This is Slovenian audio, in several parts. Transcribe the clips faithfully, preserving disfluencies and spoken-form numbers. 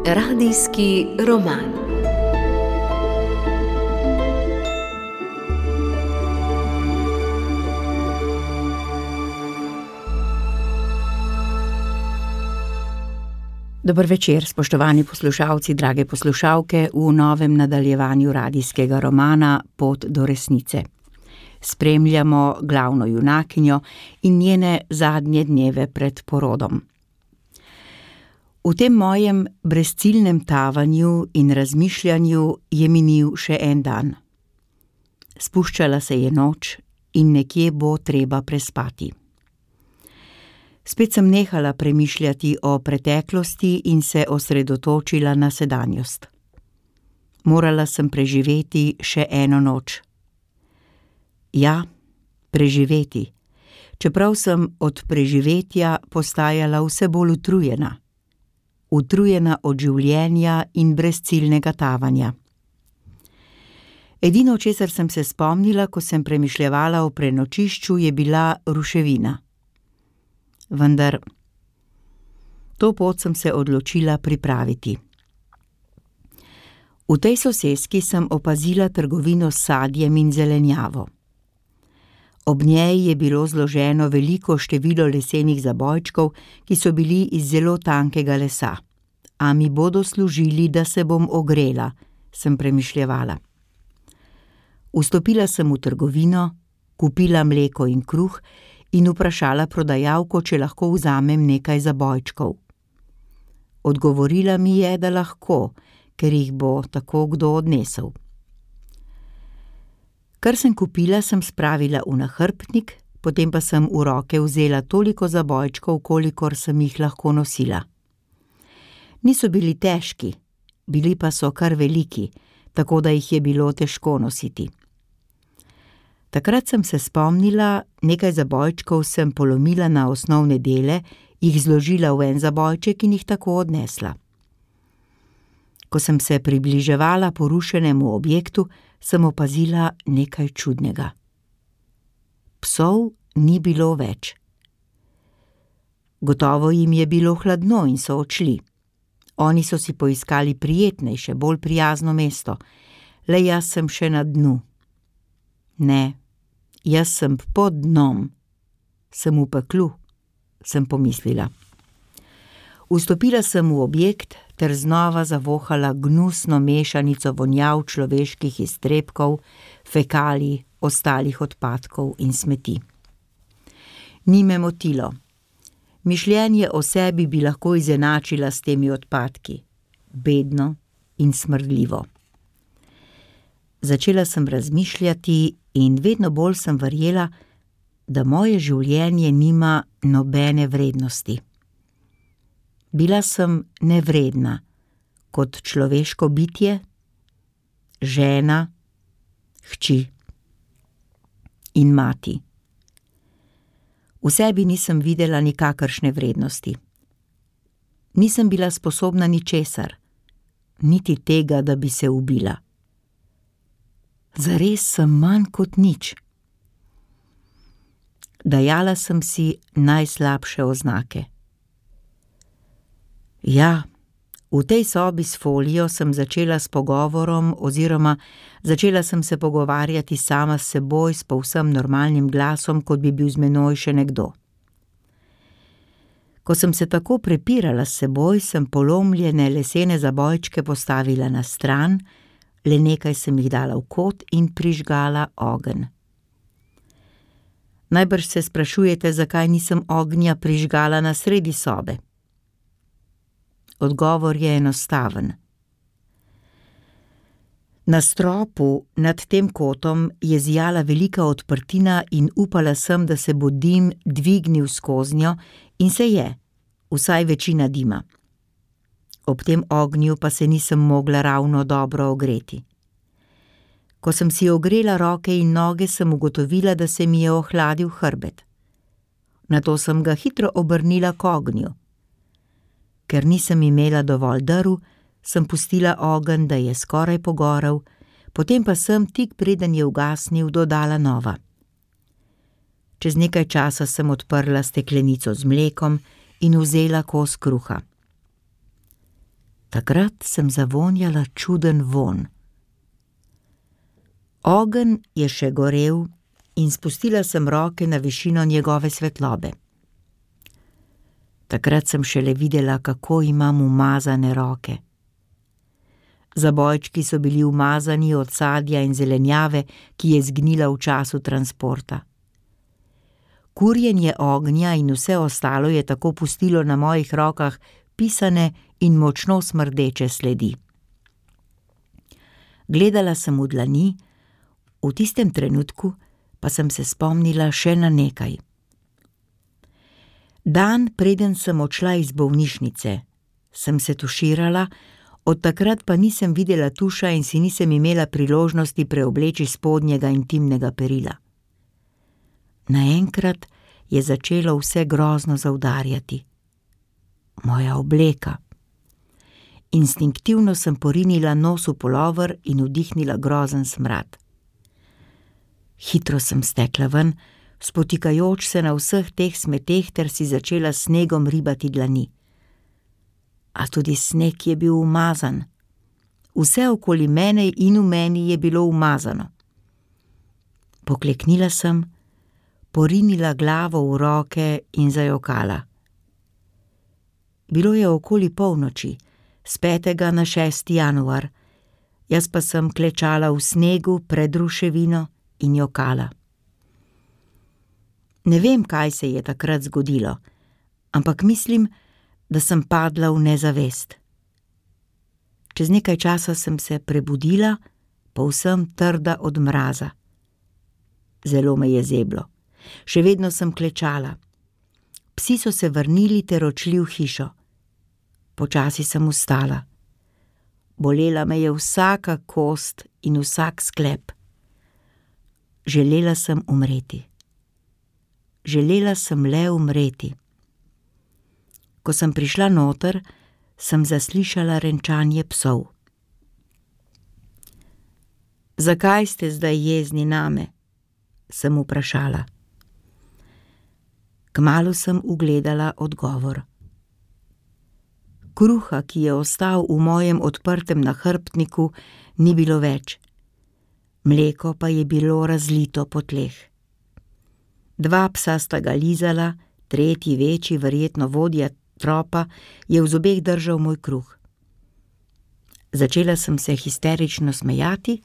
Radijski roman. Dober večer, spoštovani poslušalci, drage poslušalke, v novem nadaljevanju radijskega romana Pot do resnice. Spremljamo glavno junakinjo in njene zadnje dneve pred porodom. V tem mojem brezciljnem tavanju in razmišljanju je minil še en dan. Spuščala se je noč in nekje bo treba prespati. Spet sem nehala premišljati o preteklosti in se osredotočila na sedanjost. Morala sem preživeti še eno noč. Ja, preživeti, čeprav sem od preživetja postajala vse bolj utrujena. Utrujena od življenja in brezciljnega tavanja. Edino, česar sem se spomnila, ko sem premišljevala o prenočišču, je bila ruševina. Vendar to pot sem se odločila pripraviti. V tej soseski sem opazila trgovino s sadjem in zelenjavo. Ob njej je bilo zloženo veliko število lesenih zabojčkov, ki so bili iz zelo tankega lesa. A mi bodo služili, da se bom ogrela, sem premišljevala. Vstopila sem v trgovino, kupila mleko in kruh in vprašala prodajalko, če lahko vzamem nekaj zabojčkov. Odgovorila mi je, da lahko, ker jih bo tako kdo odnesel. Kar sem kupila, sem spravila v nahrbtnik, potem pa sem v roke vzela toliko zabojčkov, kolikor sem jih lahko nosila. Niso bili težki, bili pa so kar veliki, tako da jih je bilo težko nositi. Takrat sem se spomnila, nekaj zabojčkov sem polomila na osnovne dele, jih zložila v en zabojček in jih tako odnesla. Ko sem se približevala porušenemu objektu, sem opazila nekaj čudnega. Psov ni bilo več. Gotovo jim je bilo hladno in so odšli. Oni so si poiskali prijetnejše, bolj prijazno mesto. Le jaz sem še na dnu. Ne, jaz sem pod dnom. Sem v peklu, sem pomislila. Vstopila sem v objekt ter znova zavohala gnusno mešanico vonjav človeških iztrebkov, fekalij, ostalih odpadkov in smeti. Ni me motilo. Mišljenje o sebi bi lahko izenačila s temi odpadki. Bedno in smrdljivo. Začela sem razmišljati in vedno bolj sem verjela, da moje življenje nima nobene vrednosti. Bila sem nevredna, kot človeško bitje, žena, hči in mati. V sebi nisem videla nikakršne vrednosti. Nisem bila sposobna ničesar, niti tega, da bi se ubila. Zares sem manj kot nič. Dajala sem si najslabše oznake. Ja, v tej sobi s folijo sem začela s pogovorom oziroma začela sem se pogovarjati sama s seboj s povsem normalnim glasom, kot bi bil z menoj še nekdo. Ko sem se tako prepirala s seboj, sem polomljene lesene zabojčke postavila na stran, le nekaj sem jih dala v kot in prižgala ogenj. Najbrž se sprašujete, zakaj nisem ognja prižgala na sredi sobe. Odgovor je enostaven. Na stropu nad tem kotom je zijala velika odprtina in upala sem, da se bo dim dvignil skoznjo in se je, vsaj večina dima. Ob tem ognju pa se nisem mogla ravno dobro ogreti. Ko sem si ogrela roke in noge, sem ugotovila, da se mi je ohladil hrbet. Nato sem ga hitro obrnila k ognju. Ker nisem imela dovolj drv, sem pustila ogenj, da je skoraj pogorel, potem pa sem tik preden je ugasnil dodala nova. Čez nekaj časa sem odprla steklenico z mlekom in vzela kos kruha. Takrat sem zavonjala čuden vonj. Ogenj je še gorel in spustila sem roke na višino njegove svetlobe. Takrat sem šele videla, kako imam umazane roke. Zabojčki so bili umazani od sadja in zelenjave, ki je zgnila v času transporta. Kurjenje ognja in vse ostalo je tako pustilo na mojih rokah pisane in močno smrdeče sledi. Gledala sem v dlani, v tistem trenutku pa sem se spomnila še na nekaj. Dan, preden sem odšla iz bolnišnice, sem se tuširala, od takrat pa nisem videla tuša in si nisem imela priložnosti preobleči spodnjega intimnega perila. Naenkrat je začelo vse grozno zaudarjati. Moja obleka. Instinktivno sem porinila nos v pulover in vdihnila grozen smrad. Hitro sem stekla ven, spotikajoč se na vseh teh smeteh, ter si začela s snegom ribati dlani. A tudi sneg je bil umazan. Vse okoli mene in v meni je bilo umazano. Pokleknila sem, porinila glavo v roke in zajokala. Bilo je okoli polnoči, s petega na šesti januar, jaz pa sem klečala v snegu pred ruševino in jokala. Ne vem, kaj se je takrat zgodilo, ampak mislim, da sem padla v nezavest. Čez nekaj časa sem se prebudila, povsem trda od mraza. Zelo me je zeblo. Še vedno sem klečala. Psi so se vrnili ter odšli v hišo. Počasi sem vstala. Bolela me je vsaka kost in vsak sklep. Želela sem umreti. Želela sem le umreti. Ko sem prišla noter, sem zaslišala renčanje psov. Zakaj ste zdaj jezni name? Sem vprašala. Kmalu sem ugledala odgovor. Kruha, ki je ostal v mojem odprtem nahrbtniku, ni bilo več. Mleko pa je bilo razlito po tleh. Dva psa sta ga lizala, tretji večji, verjetno vodja tropa, je v zobeh držal moj kruh. Začela sem se histerično smejati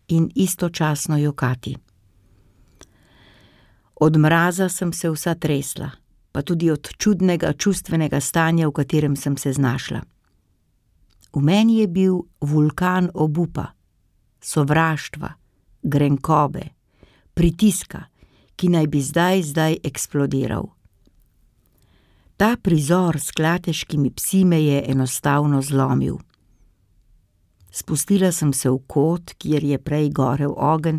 in istočasno jokati. Od mraza sem se vsa tresla, pa tudi od čudnega čustvenega stanja, v katerem sem se znašla. V meni je bil vulkan obupa, sovraštva, grenkobe, pritiska, ki naj bi zdaj, zdaj eksplodiral. Ta prizor s klateškimi psi me je enostavno zlomil. Spustila sem se v kot, kjer je prej gorel ogenj,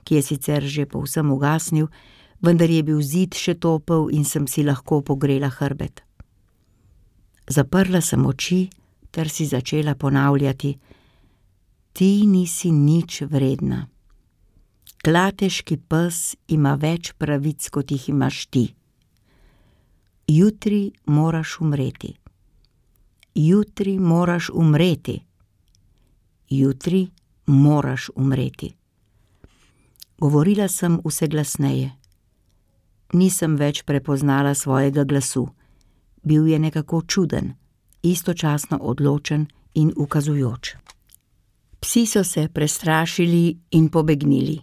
ki je sicer že povsem ugasnil, vendar je bil zid še topel in sem si lahko pogrela hrbet. Zaprla sem oči ter si začela ponavljati: Ti nisi nič vredna. Klateški pes ima več pravic, kot jih imaš ti. Jutri moraš umreti. Jutri moraš umreti. Jutri moraš umreti. Govorila sem vse glasneje. Nisem več prepoznala svojega glasu. Bil je nekako čuden, istočasno odločen in ukazujoč. Psi so se prestrašili in pobegnili.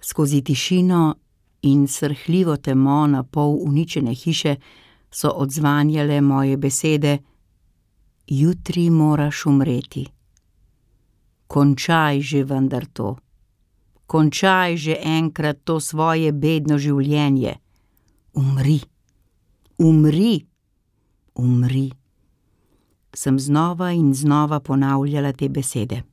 Skozi tišino in srhljivo temo na pol uničene hiše so odzvanjale moje besede: Jutri moraš umreti. Končaj že vendar to. Končaj že enkrat to svoje bedno življenje. Umri. Umri. Umri. Sem znova in znova ponavljala te besede.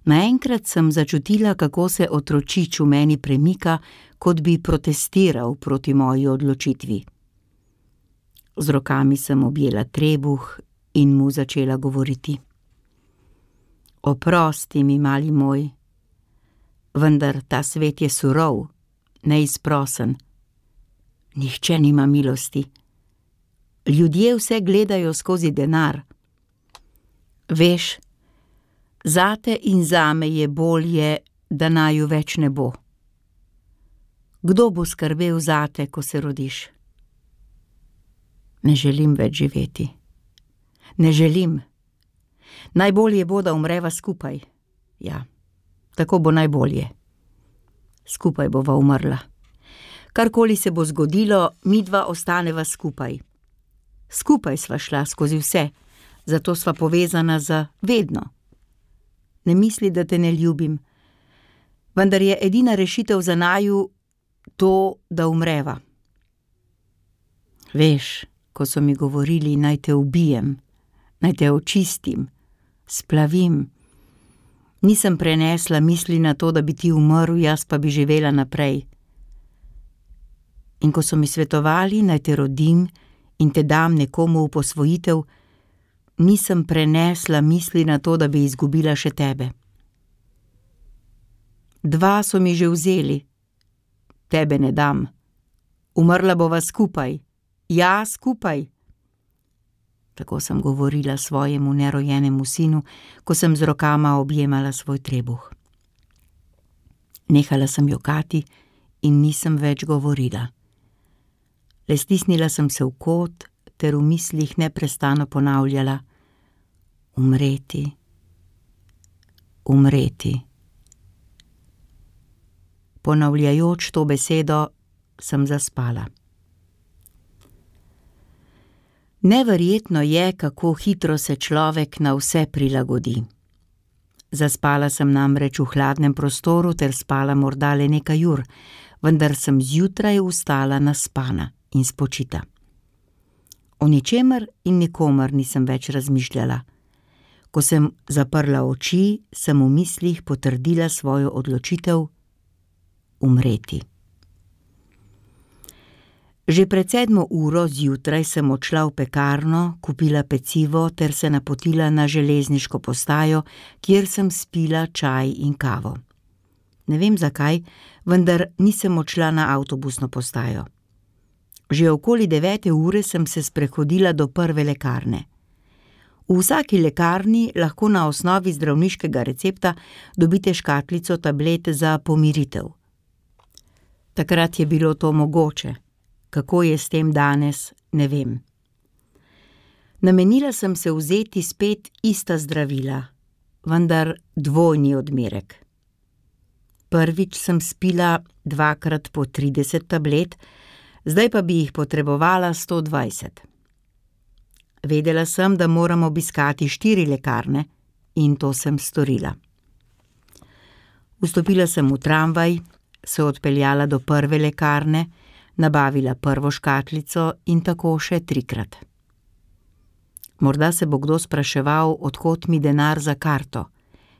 Naenkrat sem začutila, kako se otročič v meni premika, kot bi protestiral proti moji odločitvi. Z rokami sem objela trebuh in mu začela govoriti. Oprosti mi, mali moj, vendar ta svet je surov neizprosen. Nihče nima milosti. Ljudje vse gledajo skozi denar. Veš, zate in zame je bolje, da naju več ne bo. Kdo bo skrbel zate, ko se rodiš? Ne želim več živeti. Ne želim. Najbolje bo, da umreva skupaj. Ja, tako bo najbolje. Skupaj bova umrla. Karkoli se bo zgodilo, midva ostaneva skupaj. Skupaj sva šla skozi vse, zato sva povezana za vedno. Ne misli, da te ne ljubim, vendar je edina rešitev za naju to, da umreva. Veš, ko so mi govorili, naj te ubijem, naj te očistim, splavim, nisem prenesla misli na to, da bi ti umrl, jaz pa bi živela naprej. In ko so mi svetovali, naj te rodim in te dam nekomu v posvojitev, nisem prenesla misli na to, da bi izgubila še tebe. Dva so mi že vzeli. Tebe ne dam. Umrla bova skupaj. Ja, skupaj. Tako sem govorila svojemu nerojenemu sinu, ko sem z rokama objemala svoj trebuh. Nehala sem jokati in nisem več govorila. Le stisnila sem se v kot ter v mislih neprestano ponavljala: umreti, umreti. Ponavljajoč to besedo, sem zaspala. Neverjetno je, kako hitro se človek na vse prilagodi. Zaspala sem namreč v hladnem prostoru ter spala morda le nekaj ur, vendar sem zjutraj vstala naspana in spočita. O ničemer in nikomer nisem več razmišljala. Ko sem zaprla oči, sem v mislih potrdila svojo odločitev umreti. Že pred sedmo uro zjutraj sem odšla v pekarno, kupila pecivo ter se napotila na železniško postajo, kjer sem spila čaj in kavo. Ne vem zakaj, vendar nisem odšla na avtobusno postajo. Že okoli devete ure sem se sprehodila do prve lekarne. V vsaki lekarni lahko na osnovi zdravniškega recepta dobite škatlico tablet za pomiritev. Takrat je bilo to mogoče. Kako je s tem danes, ne vem. Namenila sem se vzeti spet ista zdravila, vendar dvojni odmerek. Prvič sem spila dvakrat po trideset tablet, zdaj pa bi jih potrebovala sto dvajset. Vedela sem, da moram obiskati štiri lekarne in to sem storila. Vstopila sem v tramvaj, se odpeljala do prve lekarne, nabavila prvo škatlico in tako še trikrat. Morda se bo kdo spraševal, od kod mi denar za karto,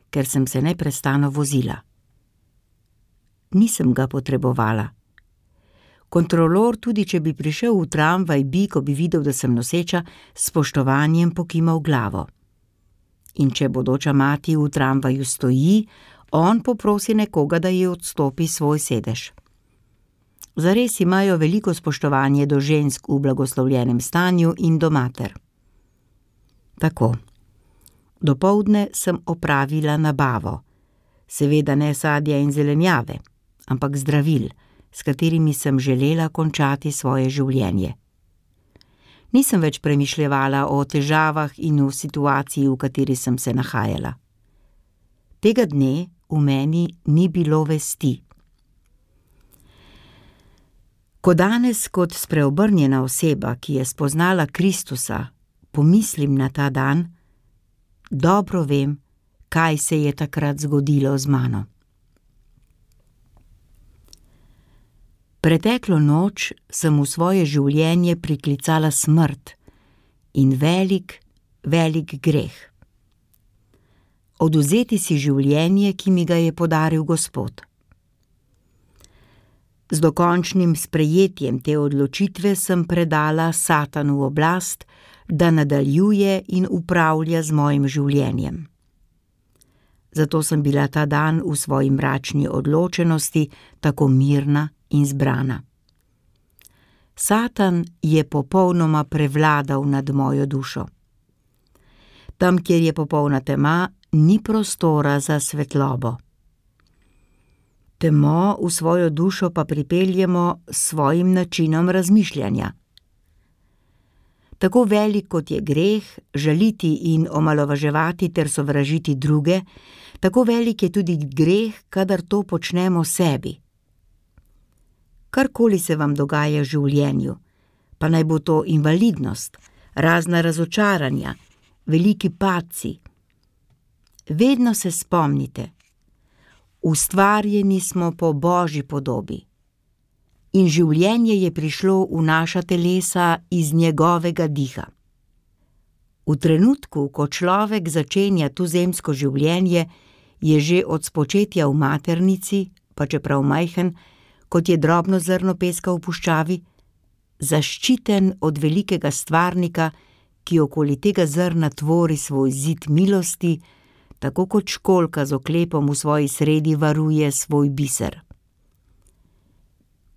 ker sem se neprestano vozila. Nisem ga potrebovala. Kontrolor, tudi če bi prišel v tramvaj, bi, ko bi videl, da sem noseča, s spoštovanjem pokimal glavo. In če bodoča mati v tramvaju stoji, on poprosi nekoga, da ji odstopi svoj sedež. Zares imajo veliko spoštovanje do žensk v blagoslovljenem stanju in do mater. Tako. Dopoldne sem opravila nabavo. Seveda ne sadja in zelenjave, ampak zdravil, s katerimi sem želela končati svoje življenje. Nisem več premišljevala o težavah in v situaciji, v kateri sem se nahajala. Tega dne v meni ni bilo vesti. Ko danes kot spreobrnjena oseba, ki je spoznala Kristusa, pomislim na ta dan, dobro vem, kaj se je takrat zgodilo z mano. Preteklo noč sem v svoje življenje priklicala smrt in velik, velik greh. Odvzeti si življenje, ki mi ga je podaril Gospod. Z dokončnim sprejetjem te odločitve sem predala Satanu oblast, da nadaljuje in upravlja z mojim življenjem. Zato sem bila ta dan v svoji mračni odločenosti tako mirna in zbrana. Satan je popolnoma prevladal nad mojo dušo. Tam, kjer je popolna tema, ni prostora za svetlobo. Temo v svojo dušo pa pripeljemo s svojim načinom razmišljanja. Tako velik, kot je greh, žaliti in omalovaževati ter sovražiti druge, tako velik je tudi greh, kadar to počnemo sebi. Karkoli se vam dogaja v življenju, pa naj bo to invalidnost, razna razočaranja, veliki padci. Vedno se spomnite, ustvarjeni smo po Božji podobi in življenje je prišlo v naša telesa iz njegovega diha. V trenutku, ko človek začenja tuzemsko življenje, je že od spočetja v maternici, pa čeprav majhen, kot je drobno zrno peska v puščavi, zaščiten od velikega stvarnika, ki okoli tega zrna tvori svoj zid milosti, tako kot školjka z oklepom v svoji sredi varuje svoj biser.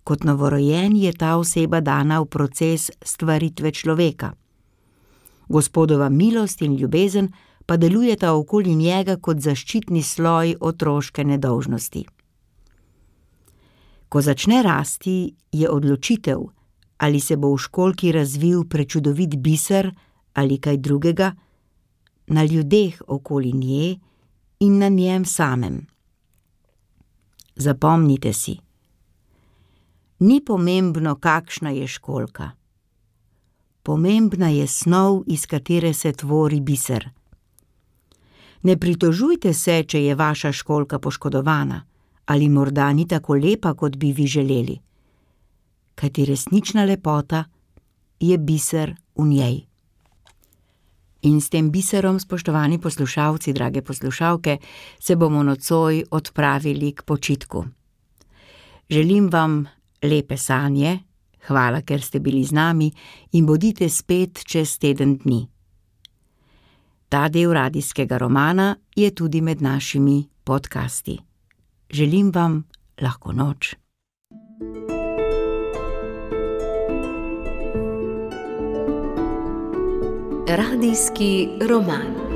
Kot novorojen je ta oseba dana v proces stvaritve človeka. Gospodova milost in ljubezen pa delujeta okoli njega kot zaščitni sloj otroške nedolžnosti. Ko začne rasti, je odločitev, ali se bo v školjki razvil prečudovit biser ali kaj drugega, na ljudeh okoli nje in na njem samem. Zapomnite si, ni pomembno, kakšna je školjka. Pomembna je snov, iz katere se tvori biser. Ne pritožujte se, če je vaša školjka poškodovana ali morda ni tako lepa, kot bi vi želeli, kajti resnična lepota je biser v njej. In s tem biserom, spoštovani poslušalci, drage poslušalke, se bomo nocoj odpravili k počitku. Želim vam lepe sanje, hvala, ker ste bili z nami in bodite spet čez teden dni. Ta del radijskega romana je tudi med našimi podcasti. Želim vam lahko noč. Radijski roman.